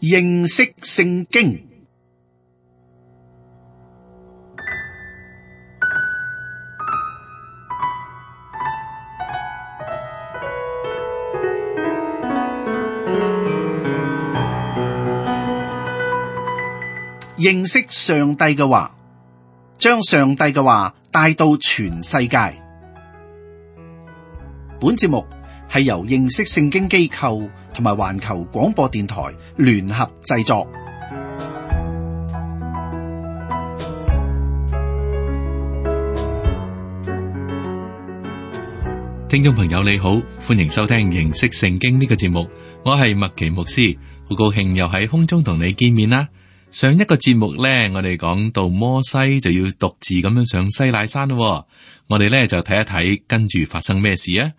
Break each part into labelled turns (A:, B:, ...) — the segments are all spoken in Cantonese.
A: 認識聖經。認識上帝嘅話，將上帝嘅話帶到全世界。本節目係由認識聖經機構同埋環球廣播電台聯合製作。
B: 聽眾朋友你好，歡迎收聽認識聖經呢個節目，我係麥奇牧師，好高興又喺空中同你見面啦。上一個節目呢，我哋講到摩西就要獨自咁樣上西乃山咯。我哋呢就睇一睇跟住發生咩事啊。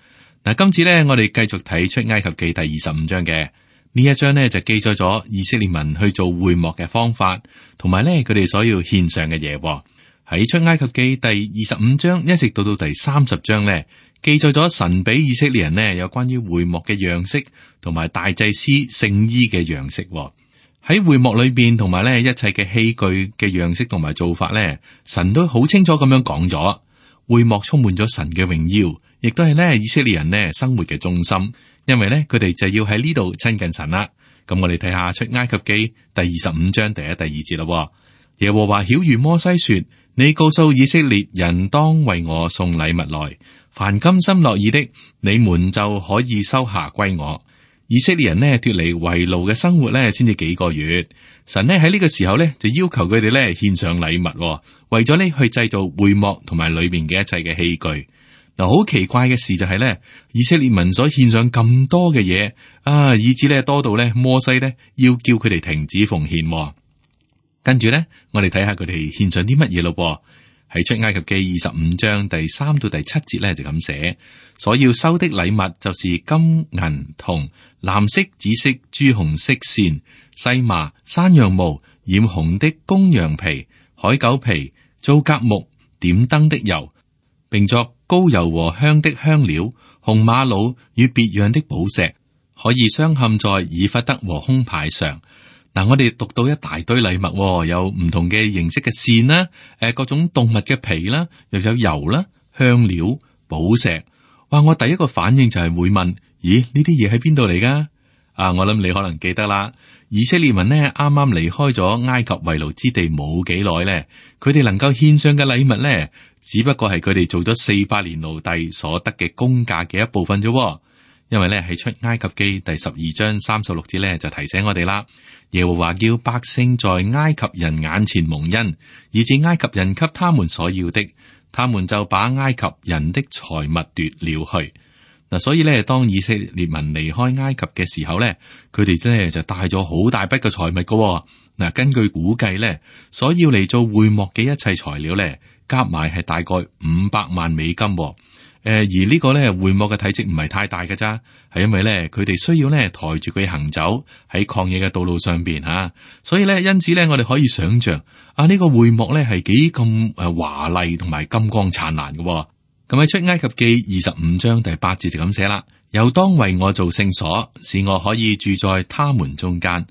B: 嗱，今次呢，我哋繼續睇出埃及記第25章嘅呢一章呢，就記載咗以色列民去做會幕嘅方法，同埋呢佢哋所要獻上嘅嘢。喺出埃及記第25章一直到第30章呢，記載咗神俾以色列人呢有關於會幕嘅樣式，同埋大祭司聖衣嘅樣式。喺會幕裏邊，同埋咧一切嘅器具嘅樣式同埋做法咧，神都好清楚咁樣講咗。會幕充滿咗神嘅榮耀，亦都係咧以色列人咧生活嘅中心。因為咧佢哋就要喺呢度親近神啦。咁我哋睇下出埃及記第25章第1、第2節啦。耶和華曉諭摩西說：你告訴以色列人當為我送禮物來，凡甘心樂意的，你們就可以收下歸我。以色列人呢脫離為奴嘅生活呢先至幾個月，神呢喺呢個時候呢就要求佢哋呢獻上禮物，為咗呢去製造會幕同埋裏邊嘅一切嘅器具。嗱，好奇怪嘅事就係呢，以色列民所獻上咁多嘅嘢啊，以致呢多到呢摩西呢要叫佢哋停止奉獻。跟住呢，我哋睇下佢哋獻上啲乜嘢咯。喺出埃及記25章第3到第7節呢就咁寫：所要收的禮物就是金銀銅、藍色、紫色、朱紅色線、細麻、山羊毛、染紅的公羊皮、海狗皮、皂莢木、點燈的油，並作膏油和香的香料、紅瑪瑙與別樣的寶石，可以鑲嵌在以弗得和胸牌上。嗱，我哋讀到一大堆禮物，有唔同嘅形式嘅線啦，各種動物嘅皮啦，又有油啦、香料、寶石。哇！我第一個反應就係會問：咦，呢啲嘢喺邊度嚟噶？啊，我諗你可能記得啦。以色列民呢啱啱離開咗埃及為奴之地冇幾耐咧，佢哋能夠獻上嘅禮物咧，只不過係佢哋做咗400年奴隸所得嘅工價嘅一部分啫。因為咧喺出埃及記第12章36節咧就提醒我哋啦。耶和華叫百姓在埃及人眼前蒙恩，以致埃及人給他們所要的，他們就把埃及人的財物奪了去。嗱，所以咧，當以色列民離開埃及嘅時候咧，佢哋咧就帶咗好大筆嘅財物噶。嗱，根據估計咧，所要嚟做會幕嘅一切材料咧，加埋係大概500萬美金。而呢個咧會幕嘅體積唔係太大嘅咋，係因為咧佢哋需要咧抬住佢行走喺曠野嘅道路上邊吓，所以咧因此咧我哋可以想象啊呢個會幕咧係幾咁華麗同埋金光燦爛嘅。咁喺出埃及記25章第8節就咁寫啦，又當為我做聖所，使我可以住在他們中間。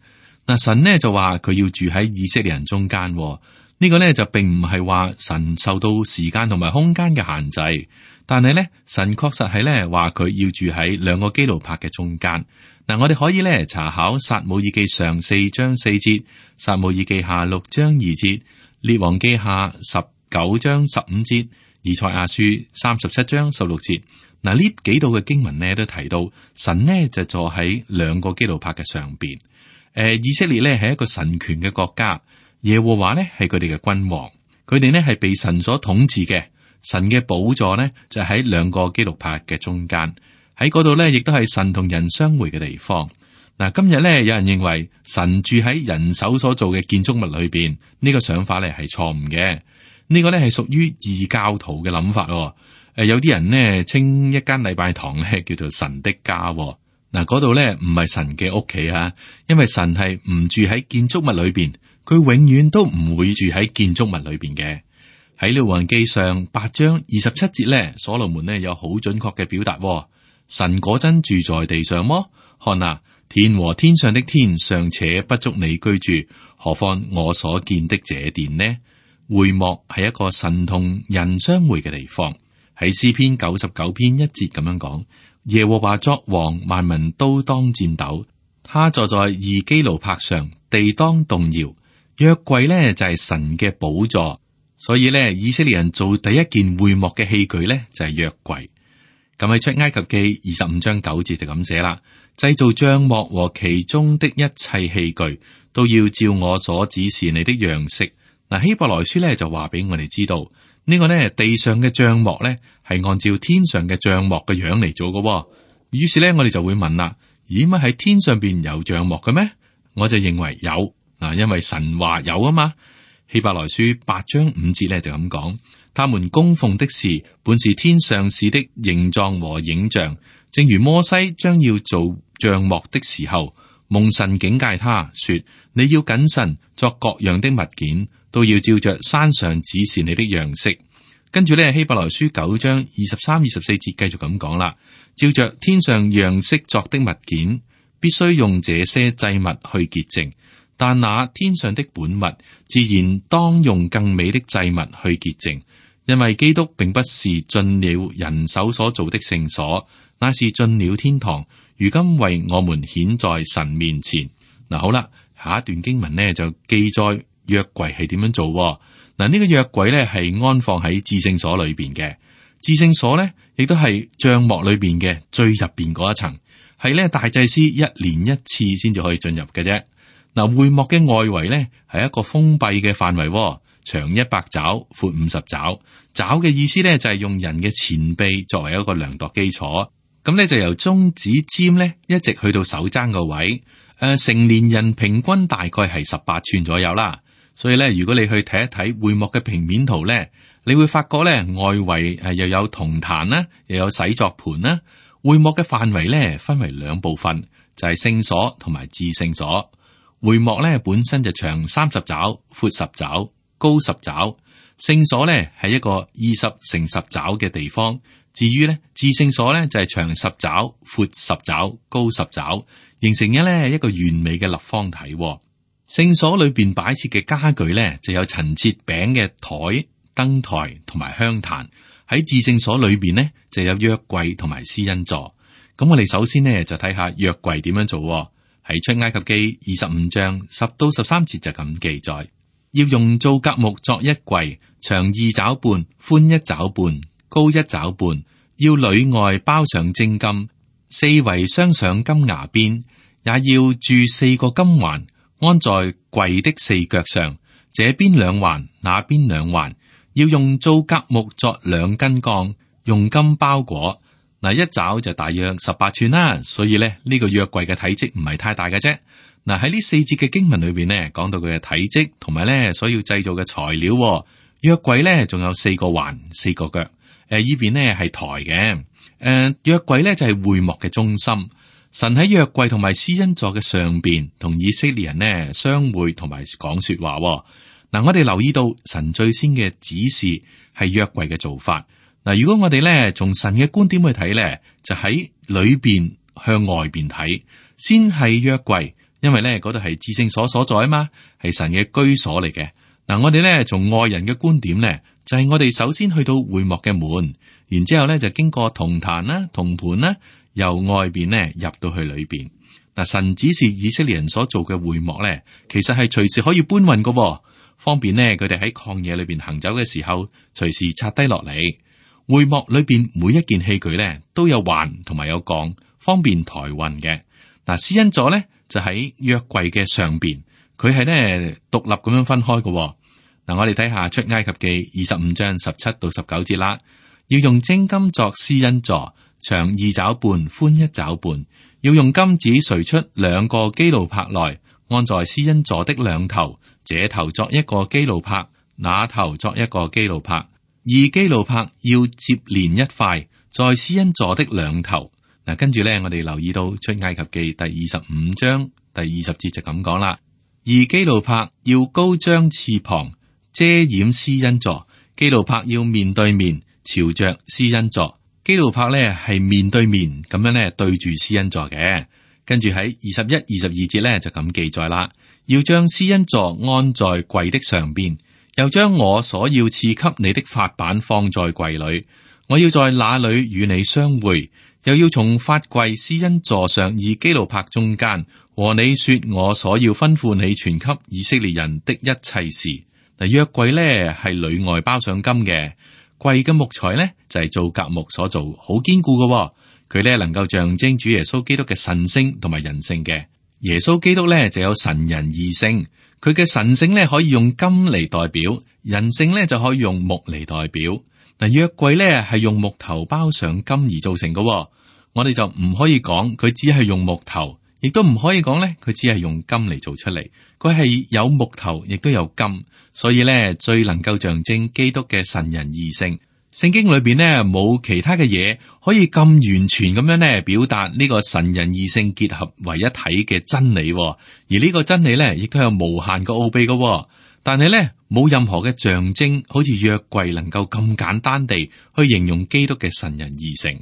B: 嗱，神呢就話佢要住喺以色列人中間，呢個呢就並唔係話神受到時間同埋空間嘅限制。但係咧，神確實係咧話佢要住喺2個基路伯嘅中間。嗱，我哋可以咧查考撒母耳記上4章4節、撒母耳記下6章2節、列王記下19章15節、以賽亞書37章16節。嗱，呢幾度嘅經文呢都提到神呢就坐喺2個基路伯嘅上邊。以色列呢係一個神權嘅國家，耶和華呢係佢哋嘅君王，佢哋呢係被神所統治嘅。神嘅寶座呢，就喺2個基路伯嘅中間，喺嗰度呢，亦都係神同人相會嘅地方。嗱，今日呢，有人認為神住喺人手所做嘅建築物裏邊，呢個想法呢係錯誤嘅。呢個呢係屬於異教徒嘅諗法。有啲人呢稱一間禮拜堂呢叫做神的家。嗱，嗰度呢唔係神嘅屋企啊，因為神係唔住喺建築物裏邊，佢永遠都唔會住喺建築物裏邊嘅。喺列王記上8章27節咧，所羅門呢有好準確嘅表達。神果真住在地上麼？看啊，天和天上的天尚且不足你居住，何況我所見的這殿呢？會幕係一個神同人相會嘅地方。喺詩篇99篇1節咁樣講：耶和華作王，萬民都當戰鬥。他坐在二基路伯上，地當動搖。約櫃呢就係神嘅寶座，所以呢，以色列人做第一件會幕嘅器具呢就係約櫃。咁喺出埃及記25章9節就咁寫啦：製造帳幕和其中的一切器具，都要照我所指示你的樣式。嗱，希伯來書咧就話俾我哋知道，呢個呢地上嘅帳幕咧係按照天上嘅帳幕嘅樣嚟做嘅。於是咧我哋就會問啦：咦，乜喺天上邊有帳幕嘅咩？我就認為有嗱，因為神話有啊嘛。希伯來書8章5節咧就咁講：他們供奉的事本是天上事的形狀和影像，正如摩西將要做帳幕的時候，蒙神警戒他說：你要謹慎作各樣的物件，都要照着山上指示你的樣式。跟住咧，希伯來書9章23、24節繼續咁講啦：照着天上樣式作的物件，必須用這些祭物去潔淨；但那天上的本物，自然當用更美的祭物去潔淨。因為基督並不是進了人手所做的聖所，那是進了天堂，如今為我們顯在神面前。嗱，好啦，下一段經文呢就記載約櫃係點樣做。嗱，呢個約櫃呢係安放喺至聖所裏邊嘅，至聖所呢亦都係帳幕裏邊嘅最入邊嗰一層，係呢大祭司一年一次先至可以進入嘅啫。嗱，會幕嘅外圍呢係一個封閉嘅範圍，長100肘，闊50肘。肘嘅意思呢就係用人嘅前臂作為一個量度基礎。咁咧就由中指尖咧一直去到手踭個位，成年人平均大概係18寸左右啦。所以咧，如果你去睇一睇會幕嘅平面圖咧，你會發覺咧外圍又有銅壇啦，又有洗作盤啦。會幕嘅範圍咧分為2部分，就係聖所同埋至聖所。會幕咧本身就長30肘，闊10肘，高10肘。聖所咧係一個20乘10肘嘅地方。至於咧，至聖所咧就係長10肘，闊10肘，高10肘，形成一個完美嘅立方體。聖所裏邊擺設嘅家具咧，就有陳設餅嘅台、燈台同埋香壇。喺至聖所裏邊呢，就有約櫃同埋施恩座。咁我哋首先呢，就睇下約櫃點樣做。喺出埃及記25章10到13節就咁記載：要用皂莢木作一櫃，長2肘半，寬1肘半，高1肘半，要裏外包上精金，四圍鑲上金牙邊，也要鑄4個金環，安在櫃的4腳上，這邊2環，那邊2環。要用皂莢木作2根槓，用金包裹。嗱，一肘就大約18寸啦，所以咧呢個約櫃嘅體積唔係太大嘅啫。嗱，喺呢4節嘅經文裏邊呢，講到佢嘅體積同埋咧所要製造嘅材料。約櫃咧仲有4個環、4個腳。依邊呢係台嘅。約櫃咧就係會幕嘅中心。神喺約櫃同埋施恩座嘅上邊，同以色列人呢相會同埋講說話。嗱，我哋留意到神最先嘅指示係約櫃嘅做法。嗱，如果我哋咧從神嘅觀點去睇咧，就喺裏邊向外邊睇，先係約櫃，因為咧嗰度係至聖所所在啊嘛，係神嘅居所嚟嘅。嗱，我哋咧從外人嘅觀點咧，就係我哋首先去到會幕嘅門，然之後咧就經過銅壇啦、銅盤啦，由外邊咧入到去裏邊。嗱，神指示以色列人所做嘅會幕咧，其實係隨時可以搬運噶，方便咧佢哋喺曠野裏邊行走嘅時候，隨時拆低落嚟。會幕裏邊每一件器具咧都有環同埋有槓，方便抬運嘅。嗱，施恩座咧就喺約櫃嘅上邊，佢係咧獨立咁樣分開嘅。嗱，我哋睇下出埃及記25章17到19節啦。要用精金作施恩座，長2肘半，寬1肘半。要用金子錘出2個基路伯來，安在施恩座的兩頭，這頭作一個基路伯，那頭作一個基路伯。2基路伯要接連一塊，在施恩座的兩頭。嗱，跟住咧，我哋留意到出埃及記第25章第20節就咁講啦。2基路伯要高張翅膀，遮掩施恩座。基路伯要面對面朝着施恩座。基路伯咧係面對面咁樣咧對住施恩座嘅。跟住喺21、22節咧就咁記載啦，要將施恩座安在櫃的上邊，又將我所要賜給你的法版放在櫃裏，我要在那裏與你相會，又要從法櫃施恩座上以基路伯中間和你說我所要吩咐你傳給以色列人的一切事。嗱，約櫃咧係裏外包上金嘅，櫃嘅木材咧就係做甲木所做，好堅固嘅。佢咧能夠象徵主耶穌基督嘅神性同埋人性嘅。耶穌基督咧就有神人二性，佢嘅神性咧可以用金嚟代表，人性咧就可以用木嚟代表。嗱，約櫃咧係用木頭包上金而造成嘅，我哋就唔可以講佢只係用木頭，亦都唔可以講咧佢只係用金嚟做出嚟。佢係有木頭，亦都有金，所以咧最能夠象徵基督嘅神人二性。聖經裏邊呢，冇其他嘅嘢可以咁完全咁樣呢表達呢個神人二性結合為一體嘅真理，而呢個真理呢亦都有無限嘅奧秘嘅。但係呢，冇任何嘅象徵，好似約櫃能夠咁簡單地去形容基督嘅神人二性。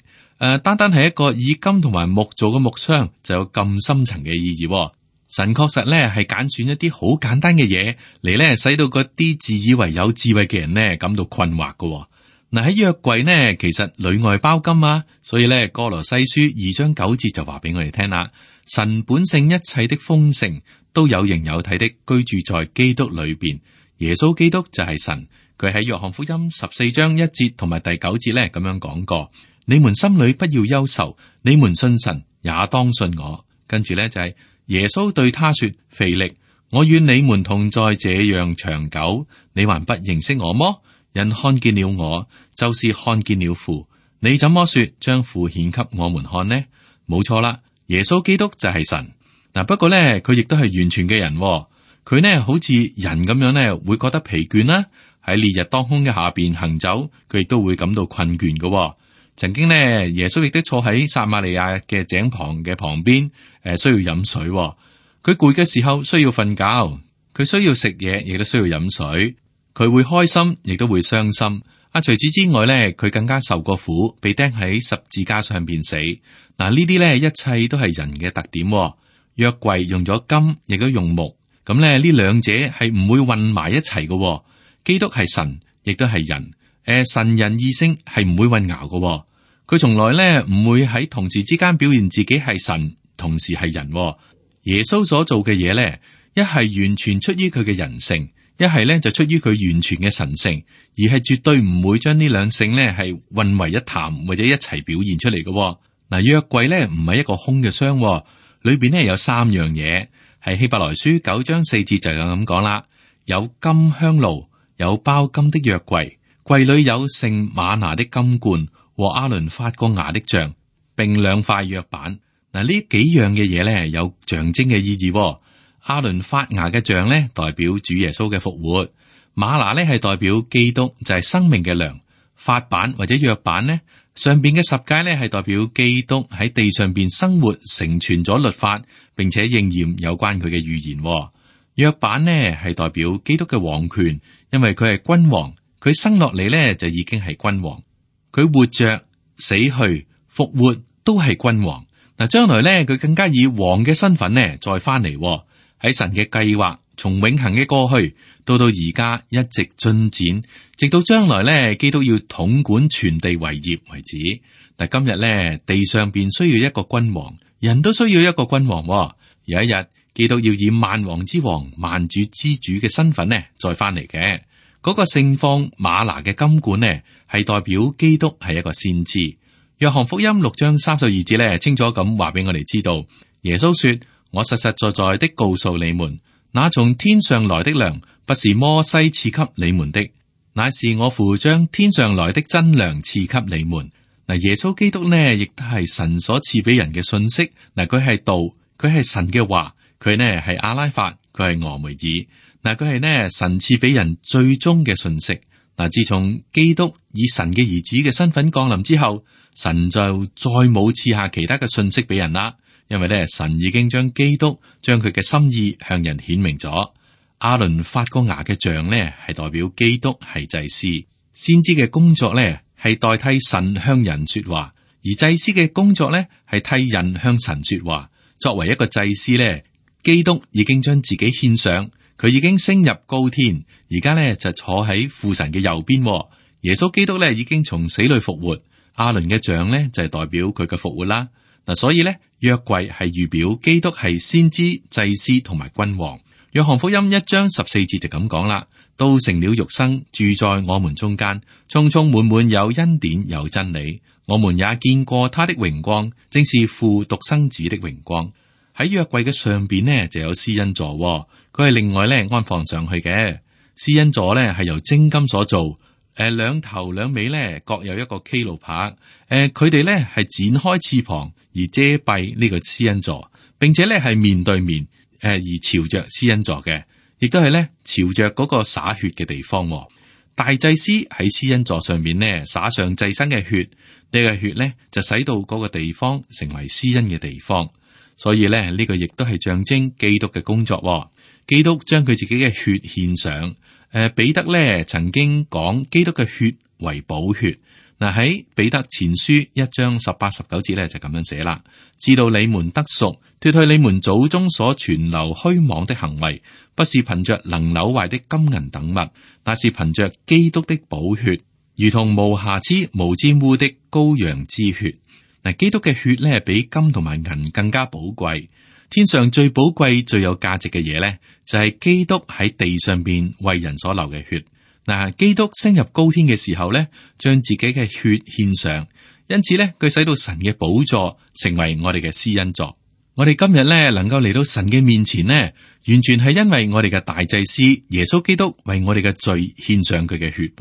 B: 單單係一個以金同埋木做嘅木箱就有咁深層嘅意義。神確實呢係揀選一啲好簡單嘅嘢嚟呢，使到嗰啲自以為有智慧嘅人呢感到困惑嘅。嗱，喺約櫃呢，其實裏外包金啊，所以咧哥羅西書2章9節就話俾我哋聽啦。神本性一切的豐盛都有形有體的居住在基督裏邊，耶穌基督就係神。佢喺約翰福音14章1節同埋第9節咧咁樣講過：你們心裏不要憂愁，你們信神也當信我。跟住咧就係耶穌對他說：腓力，我與你們同在這樣長久，你還不認識我麼？人看見了我，就是看見了父。你怎麼說將父顯給我們看呢？冇錯啦，耶穌基督就係神。嗱，不過咧，佢亦都係完全嘅人。佢呢好似人咁樣咧，會覺得疲倦啦。喺烈日當空嘅下邊行走，佢亦都會感到困倦嘅。曾經呢，耶穌亦都坐喺撒瑪利亞嘅井旁嘅旁邊，需要飲水。佢攰嘅時候需要瞓覺，佢需要食嘢，亦都需要飲水。佢會開心，亦都會傷心。除此之外咧，佢更加受過苦，被釘喺十字架上邊死。嗱，呢啲咧一切都係人嘅特點。約櫃用咗金，亦都用木，咁咧呢兩者係唔會混埋一齊嘅。基督係神，亦都係人。神人二性係唔會混淆嘅。佢從來咧唔會喺同時之間表現自己係神，同時係人。耶穌所做嘅嘢咧，一係完全出於佢嘅人性。一係咧就出於佢完全嘅神性，而係絕對唔會將呢兩性咧係混為一談或者一齊表現出嚟嘅。嗱，約櫃咧唔係一個空嘅箱，裏邊咧有3樣嘢，係希伯來書9章4節就咁講啦。有金香爐，有包金的約櫃，櫃裏有盛嗎哪的金罐和亞倫發過芽的杖，並2塊約版。嗱，呢幾樣嘅嘢咧有象徵嘅意義。亞倫發芽嘅杖咧，代表主耶穌嘅復活；嗎哪咧係代表基督，就係生命嘅糧。法版或者約版呢，上邊嘅十誡咧係代表基督喺地上邊生活，成全咗律法，並且應驗有關佢嘅預言。約版呢係代表基督嘅王權，因為佢係君王，佢生落嚟咧就已經係君王，佢活着、死去、復活都係君王。嗱，將來咧佢更加以王嘅身份呢再翻嚟。喺神嘅計劃，從永恆嘅過去到而家一直進展，直到將來咧，基督要統管全地為業為止。但今日咧，地上邊需要一個君王，人都需要一個君王。有一日，基督要以萬王之王、萬主之主嘅身份呢再翻嚟嘅。嗰個盛放嗎哪嘅金罐呢，係代表基督係一個先知。約翰福音6章32節咧，清楚咁話俾我哋知道，耶穌說。我實實在在的告訴你們，那從天上來的糧，不是摩西賜給你們的，乃是我父將天上來的真糧賜給你們。嗱，耶穌基督呢，亦都係神所賜俾人嘅信息。嗱，佢係道，佢係神嘅話，佢呢係阿拉法，佢係俄梅爾。嗱，佢係呢神賜俾人最終嘅信息。嗱，自從基督以神嘅兒子嘅身份降臨之後，神就再冇賜下其他嘅信息俾人啦。因為咧，神已經將基督將佢嘅心意向人顯明咗。亞倫發過芽嘅杖咧，係代表基督係祭司，先知嘅工作咧係代替神向人說話，而祭司嘅工作咧係替人向神說話。作為一個祭司咧，基督已經將自己獻上，佢已經升入高天，而家咧就坐喺父神嘅右邊。耶穌基督咧已經從死裏復活，亞倫嘅杖咧就係代表佢嘅復活啦。嗱，所以咧約櫃係預表基督係先知、祭司同埋君王。約翰福音1章14節就咁講啦，都成了肉身，住在我們中間，充充滿滿有恩典有真理。我們也見過他的榮光，正是父獨生子的榮光。喺約櫃嘅上邊呢，就有施恩座，佢係另外咧安放上去嘅。施恩座咧係由精金所做，兩頭兩尾咧各有一個基路伯，佢哋咧係展開翅膀而遮蔽呢個施恩座，並且咧係面對面，而朝着施恩座嘅，亦都係咧朝着嗰個灑血嘅地方。大祭司喺施恩座上面呢灑上祭牲嘅血，呢個血咧就使到嗰個地方成為施恩嘅地方。所以咧呢個亦都係象徵基督嘅工作。基督將佢自己嘅血獻上。彼得咧曾經講基督嘅血為寶血。嗱，喺彼得前書1章18、19節咧就咁樣寫啦，知道你們得贖，脫去你們祖宗所存留虛妄的行為，不是憑着能朽壞的金銀等物，那是憑着基督的寶血，如同無瑕疵無沾污的羔羊之血。嗱，基督嘅血咧比金同埋銀更加寶貴。天上最寶貴、最有價值嘅嘢咧，就係基督喺地上邊為人所流嘅血。嗱，基督升入高天嘅時候咧，將自己嘅血獻上，因此咧，佢使到神嘅寶座成為我哋嘅施恩座。我哋今日咧能夠嚟到神嘅面前呢，完全係因為我哋嘅大祭司耶穌基督為我哋嘅罪獻上佢嘅血。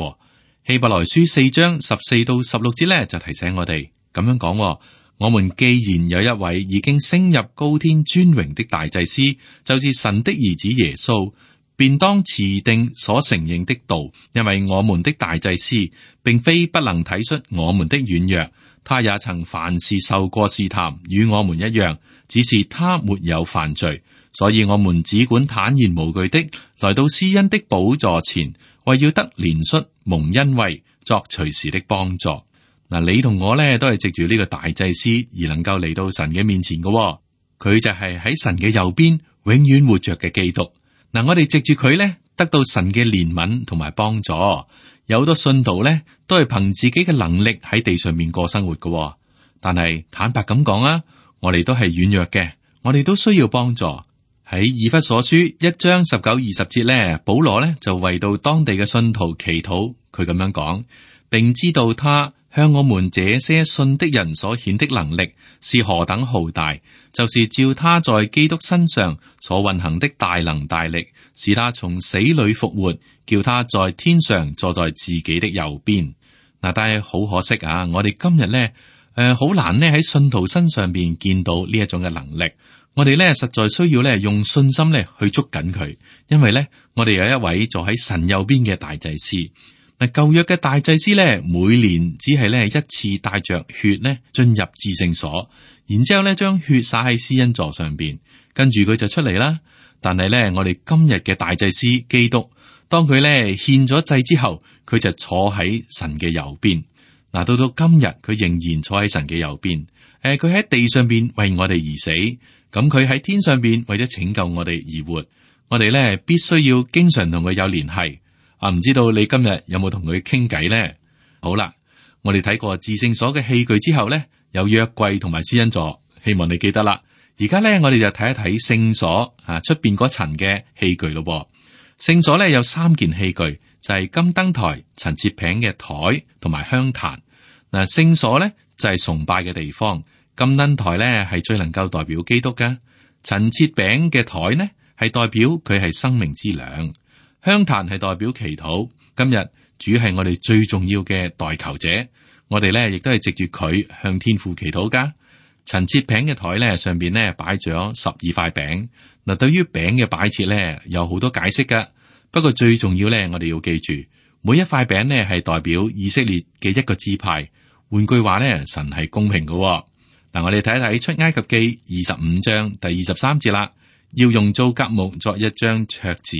B: 希伯來書4章14到16節咧就提醒我哋咁樣講：我們既然有一位已經升入高天尊榮的大祭司，就是神的兒子耶穌，便當持定所承認的道，因為我們的大祭司並非不能體恤我們的軟弱，他也曾凡事受過試探，與我們一樣，只是他沒有犯罪，所以我們只管坦然無懼的來到施恩的寶座前，為要得憐恤蒙恩惠，作隨時的幫助。嗱，你同我咧都係藉住呢個大祭司而能夠嚟到神嘅面前嘅，佢就係喺神嘅右邊永遠活着嘅基督。嗱，我哋藉住佢咧得到神嘅憐憫同埋幫助。有好多信徒咧都係憑自己嘅能力喺地上面過生活嘅，但係坦白咁講啊，我哋都係軟弱嘅，我哋都需要幫助。喺以弗所書1章19、20節咧，保羅咧就為到當地嘅信徒祈禱，佢咁樣講，並知道他向我們這些信的人所顯的能力是何等浩大，就是照他在基督身上所運行的大能大力，使他從死裏復活，叫他在天上坐在自己的右邊。嗱，但係好可惜啊，我哋今日咧，好難咧喺信徒身上邊見到呢一種嘅能力。我哋咧實在需要咧用信心咧去捉緊佢，因為咧我哋有一位坐喺神右邊嘅大祭司。嗱，舊約嘅大祭司咧，每年只係咧一次帶着血咧進入至聖所，然之後咧將血灑喺施恩座上邊，跟住佢就出嚟啦。但係咧，我哋今日嘅大祭司基督，當佢咧獻咗祭之後，佢就坐喺神嘅右邊。嗱，到今日佢仍然坐喺神嘅右邊。佢喺地上邊為我哋而死，咁佢喺天上邊為咗拯救我哋而活。我哋咧必須要經常同佢有聯繫。唔知道你今日有冇同佢傾偈呢？好啦，我哋睇過至聖所嘅器具之後呢，有約櫃同埋施恩座，希望你記得啦。而家呢，我哋就睇一睇聖所出邊嗰層嘅器具咯。聖所呢有3件器具，就係金燈台、陳設餅嘅台同埋香壇。嗱，聖所呢就係崇拜嘅地方，金燈台呢係最能夠代表基督噶，陳設餅嘅台呢係代表佢係生命之糧。香壇係代表祈禱，今日主係我哋最重要嘅代求者，我哋咧亦都係藉住佢向天父祈禱噶。陳設餅嘅台咧上邊咧擺咗12塊餅，嗱，對於餅嘅擺設咧有好多解釋噶，不過最重要咧我哋要記住，每一塊餅咧係代表以色列嘅一個支派，換句話咧神係公平噶。嗱，我哋睇一睇出埃及記25章第23節啦，要用皂莢木作一張桌子。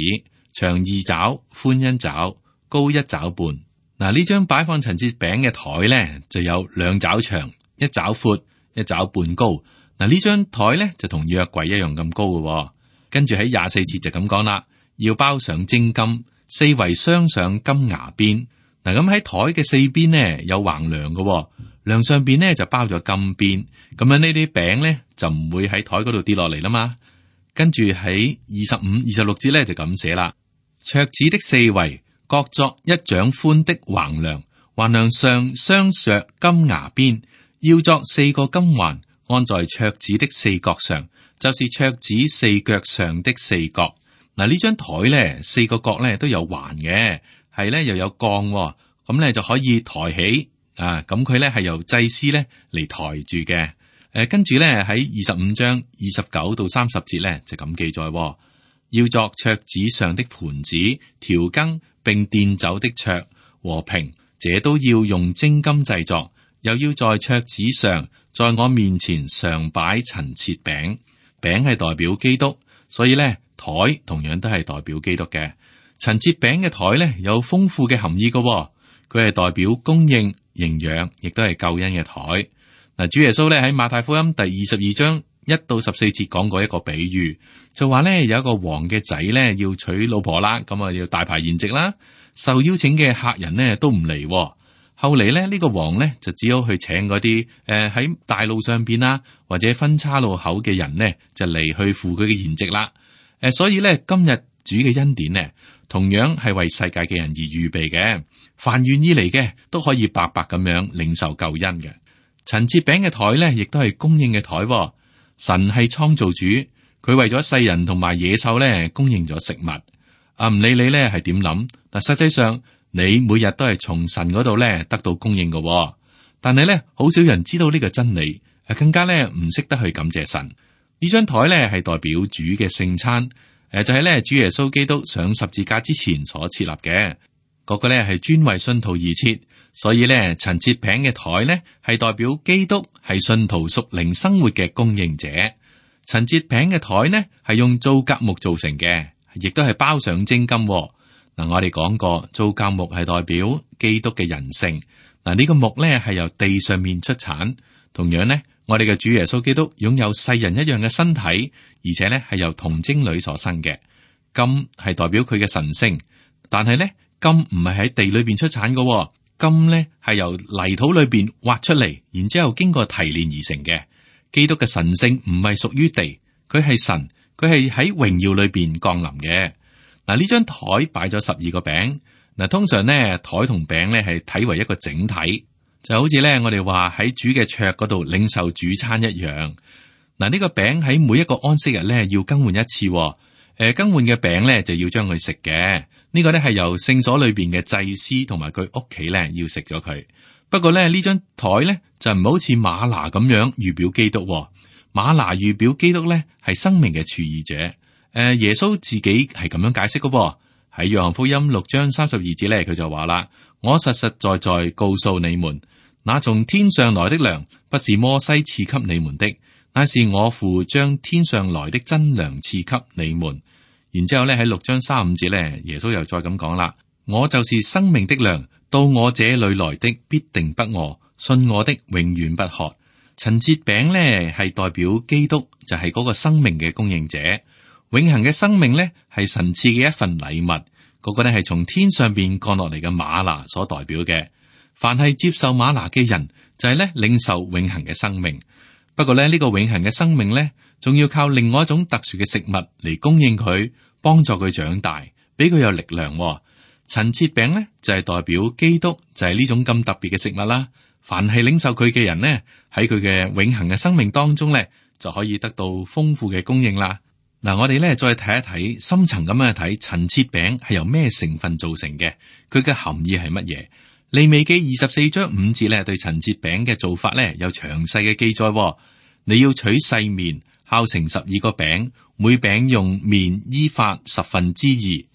B: 長2肘，寬1肘，高1肘半。嗱，呢張擺放陳設餅嘅台咧，就有2肘長，1肘闊，1肘半高。嗱，呢張台咧就同約櫃一樣咁高嘅。跟住喺24節就咁講啦，要包上精金，四圍鑲上金牙邊。嗱，咁喺台嘅四邊呢有橫梁嘅，梁上邊呢就包咗金邊。咁樣呢啲餅咧就唔會喺台嗰度跌落嚟啦嘛。跟住喺25、26節咧就咁寫啦，桌子的四圍各作一掌寬的橫梁，橫梁上鑲着金牙邊，要作4個金環，安在桌子的四角上，就是桌子四腳上的四角。嗱，呢張台咧四個角咧都有環嘅，係咧又有槓，咁咧就可以抬起啊。咁佢咧係由祭司咧嚟抬住嘅。跟住咧喺25章29到30節咧就咁記載，要作桌子上的盤子、調羹並奠酒的桌和瓶，這都要用精金製作。又要在桌子上，在我面前常擺陳設餅，餅係代表基督，所以咧台同樣都係代表基督嘅。陳設餅嘅台咧有豐富嘅含義嘅，佢係代表供應、營養，亦都係救恩嘅台。嗱，主耶穌咧喺馬太福音第22章1到14節講過一個比喻，就話咧有一個王嘅仔咧要娶老婆啦，咁啊要大排筵席啦，受邀請嘅客人呢都唔嚟。後嚟咧呢個王咧就只好去請嗰啲喺大路上邊啦，或者分岔路口嘅人呢就嚟去赴佢嘅筵席啦。所以咧今日主嘅恩典呢，同樣係為世界嘅人而預備嘅，凡願意嚟嘅都可以白白咁樣領受救恩嘅。陳設餅嘅台咧，亦都係供應嘅台。神係創造主，佢為咗世人同埋野獸咧供應咗食物。唔理你咧係點諗，但實際上你每日都係從神嗰度咧得到供應嘅。但係咧好少人知道呢個真理，更加咧唔識得去感謝神。呢張台咧係代表主嘅聖餐，就係咧主耶穌基督上十字架之前所設立嘅，嗰個咧係專為信徒而設。所以咧，陳設餅嘅台咧係代表基督係信徒屬靈生活嘅供應者。陳設餅嘅台呢係用皂莢木做成嘅，亦都係包上精金。嗱，我哋講過皂莢木係代表基督嘅人性。嗱，呢個木咧係由地上面出產。同樣呢，我哋嘅主耶穌基督擁有世人一樣嘅身體，而且咧係由童貞女所生嘅。金係代表佢嘅神性，但係咧金唔係喺地裏邊出產嘅。金咧係由泥土裏邊挖出嚟，然之後經過提煉而成嘅。基督嘅神性唔係屬於地，佢係神，佢係喺榮耀裏邊降臨嘅。嗱，呢張台擺咗12個餅。嗱，通常咧台同餅咧係睇為一個整體，就好似咧我哋話喺主嘅桌嗰度領受主餐一樣。嗱，呢個餅喺每一個安息日咧要更換一次。更換嘅餅咧就要將佢食嘅。呢個咧係由聖所裏邊嘅祭司同埋佢屋企咧要食咗佢。不過咧呢張台咧就唔好似馬拿咁樣預表基督。馬拿預表基督咧係生命嘅廚兒者。耶穌自己係咁樣解釋嘅。喺約翰福音6章32節咧，佢就話啦：我實實在在告訴你們，那從天上來的糧不是摩西賜給你們的，乃是我父將天上來的真糧賜給你們。然之後咧喺6章35節咧，耶穌又再咁講啦：我就是生命的糧，到我這裏來的必定不餓，信我的永遠不渴。陳設餅咧係代表基督，就係嗰個生命嘅供應者。永恆嘅生命咧係神賜嘅一份禮物，嗰個咧係從天上邊降落嚟嘅嗎哪所代表嘅。凡係接受嗎哪嘅人，就係咧領受永恆嘅生命。不過咧呢個永恆嘅生命咧，仲要靠另外一種特殊嘅食物嚟供應佢，幫助佢長大，俾佢有力量。陳設餅咧就係代表基督，就係呢種咁特別嘅食物啦。凡係領受佢嘅人呢，喺佢嘅永恆嘅生命當中咧，就可以得到豐富嘅供應啦。嗱，我哋咧再睇一睇，深層咁樣睇陳設餅係由咩成分造成嘅，佢嘅含義係乜嘢？利未記24章5節咧對陳設餅嘅做法咧有詳細嘅記載。你要取細麵，烤成12個餅，每餅用麵依法2/10。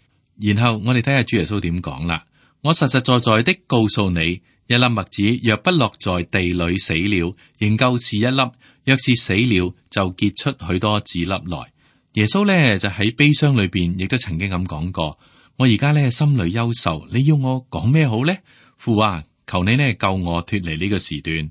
B: 然後我哋睇下主耶穌點講啦。我實實在在的告訴你，一粒麥子若不落在地裏死了，仍舊是一粒；若是死了，就結出許多子粒來。耶穌咧就喺悲傷裏邊，亦都曾經咁講過：我而家咧心裏憂愁，你要我講咩好呢？父啊，求你呢救我脫離呢個時段。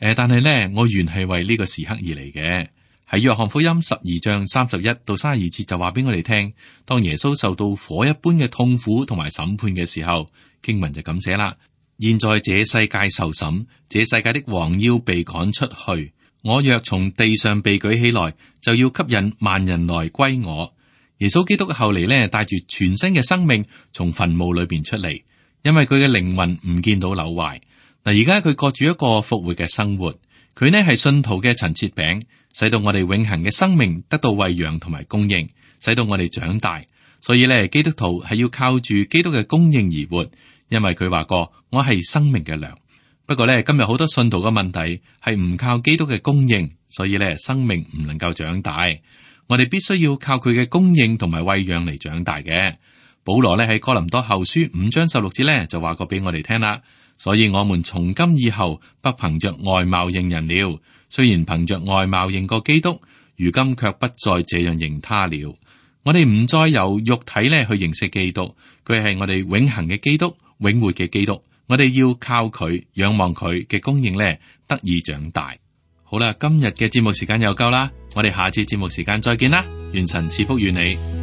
B: 但係呢，我原係為呢個時刻而嚟嘅。喺約翰福音12章31到32節就話俾我哋聽，當耶穌受到火一般嘅痛苦同埋審判嘅時候，經文就咁寫啦：現在這世界受審，這世界的王要被趕出去。我若從地上被舉起來，就要吸引萬人來歸我。耶穌基督後嚟呢，帶住全新嘅生命從墳墓裏邊出嚟，因為佢嘅靈魂唔見到朽壞。嗱，而家佢過住一個復活嘅生活，佢呢係信徒嘅陳設餅，使到我哋永恆嘅生命得到餵養同埋供應，使到我哋長大。所以咧，基督徒係要靠住基督嘅供應而活，因為佢話過我係生命嘅糧。不過咧，今日好多信徒嘅問題係唔靠基督嘅供應，所以咧，生命唔能夠長大。我哋必須要靠佢嘅供應同埋餵養嚟長大嘅。保羅咧喺哥林多後書5章16節咧就話過俾我哋聽啦。所以我們從今以後不憑着外貌認人了。雖然憑着外貌認過基督，如今卻不再這樣認他了。我哋唔再由肉體咧去認識基督，佢係我哋永恆嘅基督，永活嘅基督。我哋要靠佢，仰望佢嘅供應咧，得以長大。好啦，今日嘅節目時間又夠啦，我哋下次節目時間再見啦，願神賜福與你。